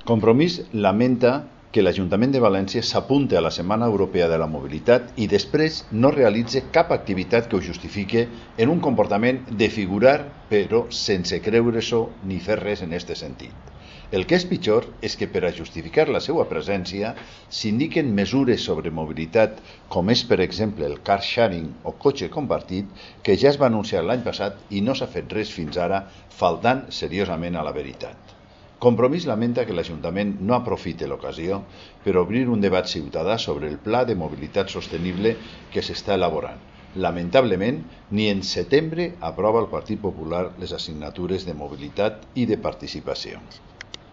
Compromís lamenta que l'Ajuntament de València s'apunte a la Setmana Europea de la Mobilitat i després no realitze cap activitat que ho justifique en un comportament de figurar, però sense creure-s'ho ni fer res en aquest sentit. El que és pitjor és que per a justificar la seva presència s'indiquen mesures sobre mobilitat, com és per exemple el car sharing o cotxe compartit, que ja es va anunciar l'any passat i no s'ha fet res fins ara, faltant seriosament a la veritat. Compromís lamenta que l'Ajuntament no aprofite l'ocasió per obrir un debat ciutadà sobre el pla de mobilitat sostenible que s'està elaborant. Lamentablement, ni en setembre aprova el Partit Popular les assignatures de mobilitat i de participació.